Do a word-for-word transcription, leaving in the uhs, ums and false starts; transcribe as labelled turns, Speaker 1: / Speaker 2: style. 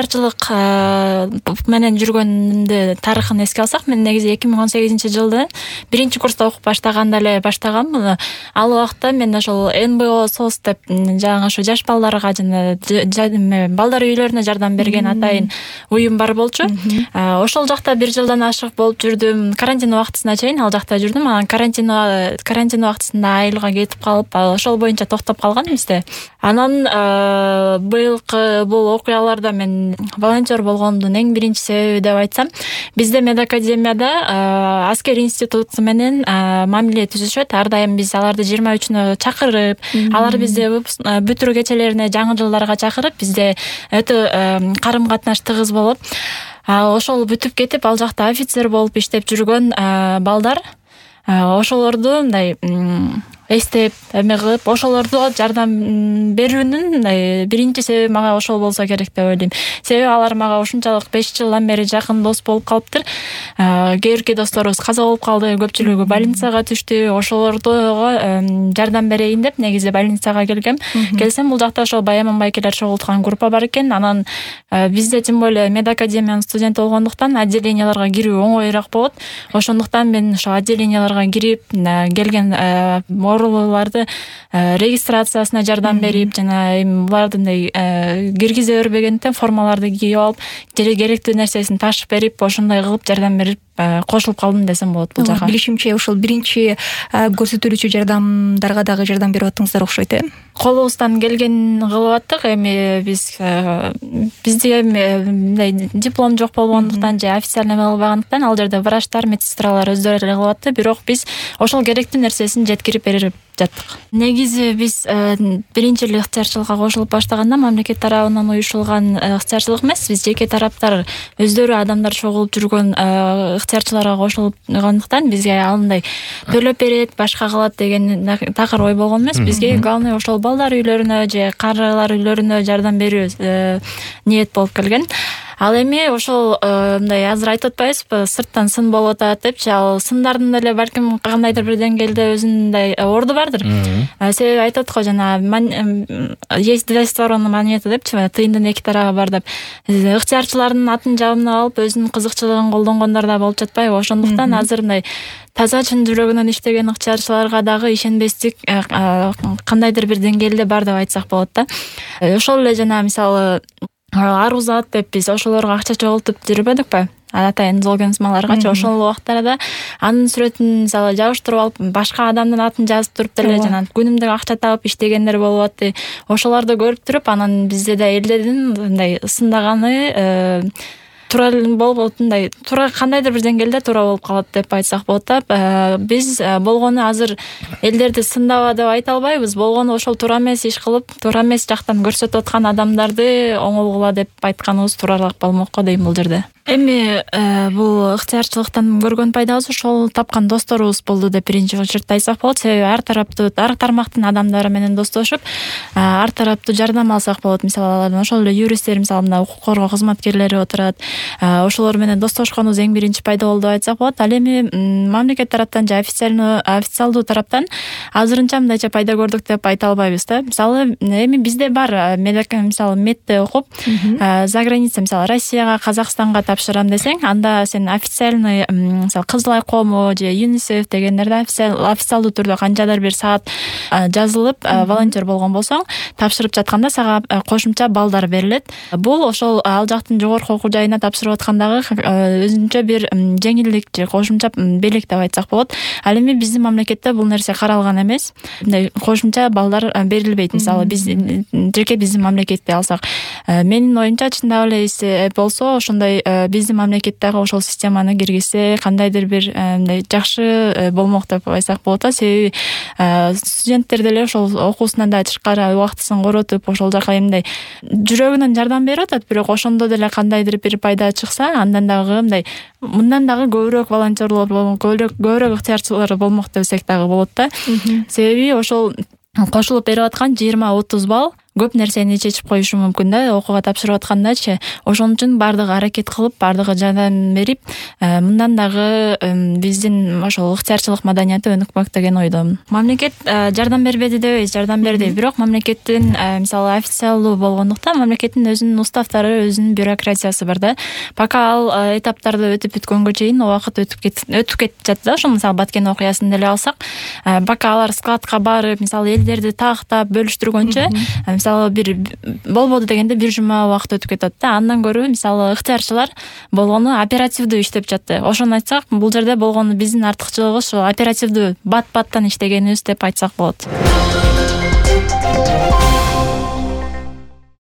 Speaker 1: ыктыярчылык менен жүргөнүмдү тарыхын эске алсак, мен негизи эки миң он сегизинчи жылы биринчи курста окуп баштаганда эле баштагам муну. Ал убакта мен ошол эн бэ о сос деп жаңы ошо жаш балдарга жана балдар үйлөрүнө жардам берген атайын уюм бар болчу. Ошол жакта бир жылдан ашык болуп жүрдүм. Карантин убактысына чейин ал жакта жүрдүм. Анан карантин карантин убактысында айылга кетип калып, ошол боюнча токтоп калган бизде. Анан быйылкы бул окуяларда мен волонтер болгондун эң биринчи себеби деп айтсам, бизде медакадемияда аскер институту менен мамиле түзүшөт. Ар дайым биз аларды жыйырма үчүнө чакырып, алар бизде бүтүрүү кечелерине, жаңы жылдарга чакырып, бизде өтө карым-катнаш тыгыз болот. Ошол бүтүп кетип, ал жакта офицер болуп иштеп жүргөн балдар, ошолорду мындай эстеп, эме кылып, ошолорду жардам берүүнүн биринчи себеби мага ошол болсо керек деп ойлойм. Себеби алар мага ушунчалык беш жылдан бери жакын дос болуп калыптыр. Кээ бирки досторубуз каза болуп калды, көпчүлүгү больницага түштү. Ошолордо жардам берейин деп негизи больницага келгем. Келсем, бул жакта ошол Баяман байкелер чогулткан группа бар экен. Анан бизде тем более медакадемиянын студенти болгондуктан отделенияларга кирүү оңоюраак болот. Ошондуктан мен ошо отделенияларга кирип, келген оорулууларды регистрациясына жардам берип, жана буларды киргизе бербегендиктен формаларды кийип алып, керектүү нерсесин ташып берип, ошондой кылып жардам берип кошулуп калдым десем болот бул жака.
Speaker 2: Билишимче, ошол биринчи көрсөтүлүүчү жардамдарга дагы жардам берип аттыңыздар окшойт, э?
Speaker 1: Колубуздан келген кылып аттык. Эми биз бизде мындай диплом жок болгондуктан же официально кылбагандыктан ал жерде врачтар, медсестралар өздөрү эле кылып атты. Бирок биз ошол керектүү нерсесин жеткирип берип жаттык. Негизи биз биринчи эле ыктыярчылыкка кошулуп баштаганда мамлекет тарабынан уюшулган ыктыярчылык эмес, биз жеке тараптар өздөрү адамдар чогулуп жүргөн ыктыярчыларга кошулгандыктан бизге андай төлөп берет, башка кылат деген такыр ой болгон эмес. Бизге главный ошол балдар үйлөрүнө же карылар үйлөрүнө жардам берүү ниет болуп келген. Ал эми ошол мындай азыр айтып атпайбызбы, сырттан сын болуп атат депчи, ал сындардын эле балким кандайдыр бир деңгээлде өзүнүн орду бардыр. Себеби айтат го, жана есть две стороны монеты депчи, тыйындын эки тарабы бар деп. Ыктыярчылардын атын жабына алып, өзүнүн кызыкчылыгын колдонгондор да болуп жатпайбы? Ошондуктан азыр мындай таза чын жүрөгүнөн иштеген ыктыярчыларга дагы ишенбестик кандайдыр бир деңгээлде бар деп айтсак болот да. Ошол эле жана мисалы Арузат деп биз ошолорго акча чогултуп жүрбөдүкпү? Атайын золгенсмаларгачы ошол убактарда анын сүрөтүн мисалы жабыштырып алып, башка адамдын атын жазып туруп деле жана күнүмдүк акча табып иштегендер болуп атты. Ошолорду көрүп туруп, анан бизде да элдердин мындай сындаганы туура болуп, мындай туура кандайдыр бир деңгээлде туура болуп калат деп айтсак болот да. Биз болгону азыр элдерди сындаба деп айта албайбыз. Болгону ошол туура эмес иш кылып, туура эмес жактан көрсөтүп аткан адамдарды оңолгула деп айтканыбыз тууралаак болмок го дейм бул жерде. Эми бул ыктыярчылыктан көргөн пайдабыз ошол тапкан досторубуз болду деп биринчи очередде айтсак болот. Себеби ар тараптуу, ар тармактын адамдары менен достошуп, ар тараптуу жардам алсак болот. Мисалы, ошол эле юристтер, мисалы, мына укук коргоо кызматкерлери отурат. Ошолор менен достошконубуз эң биринчи пайда болду деп айтсак болот. Ал эми мамлекет тараптан же официально официалдуу тараптан азырынча мындайча пайда көрдүк деп айта албайбыз да. Мисалы, эми бизде бар мисалы медте окуп, за граница, мисалы, Россияга, Казакстанга тапшырам десең, анда сен официальный, мисалы, Кызыл ай коому же ЮНИСЕФ дегендерде официалдуу түрдө канчадыр бир саат жазылып, волонтер болгон болсоң, тапшырып жатканда сага кошумча балдар берилет. Бул ошол ал жактын жогорку окуу жайына тапшырып аткандагы өзүнчө бир жеңилдик же кошумча белек деп айтсак болот. Ал эми биздин мамлекетте бул нерсе каралган эмес. Мындай кошумча балдар берилбейт. Мисалы, биз жеке биздин мамлекетте алсак, менин оюмча чындап эле болсо, ошондой биздин мамлекеттеги ошол системаны киргизсе кандайдыр бир мындай жакшы болмок деп айтсак болот да. Себеби студенттер деле ошол окуусунан да тышкары убактысын коротуп, ошол жака эмне жүрөгүнөн жардам берип атат, бирок ошондо деле кандайдыр бир пайда чыкса, андан дагы мындай мындан дагы көбүрөөк волонтерлор болмок, көбүрөөк ыктыярчылар болмок десек дагы болот да. Себеби ошол кошулуп берип аткан жыйырма отуз балл көп нерсени чечип коюшу мүмкүн да, окууга тапшырып аткандачы. Ошон үчүн баардыгы аракет кылып, баардыгы жардам берип, мындан дагы биздин ошол ыктыярчылык маданияты өнүкмөк деген ойдомун. Мамлекет жардам бербеди дебейбиз, жардам берди. Бирок мамлекеттин мисалы официалдуу болгондуктан мамлекеттин өзүнүн уставтары, өзүнүн бюрократиясы бар да. Пока ал этаптарды өтүп бүткөнгө чейин убакыт өтүп кет өтүп кетип жатты да. Ошол мисалы Баткен окуясын деле алсак, пока алар складка барып, мисалы элдерди тактап бөлүштүргөнчө, мисалы бир болбоду дегенде бир жума убакыт өтүп кетет да. Андан көрө мисалы ыктыярчылар болгону оперативдүү иштеп жатты. Ошону айтсак, бул жерде болгону биздин артыкчылыгыбыз ошо оперативдүү бат-баттан иштегенибиз деп айтсак болот.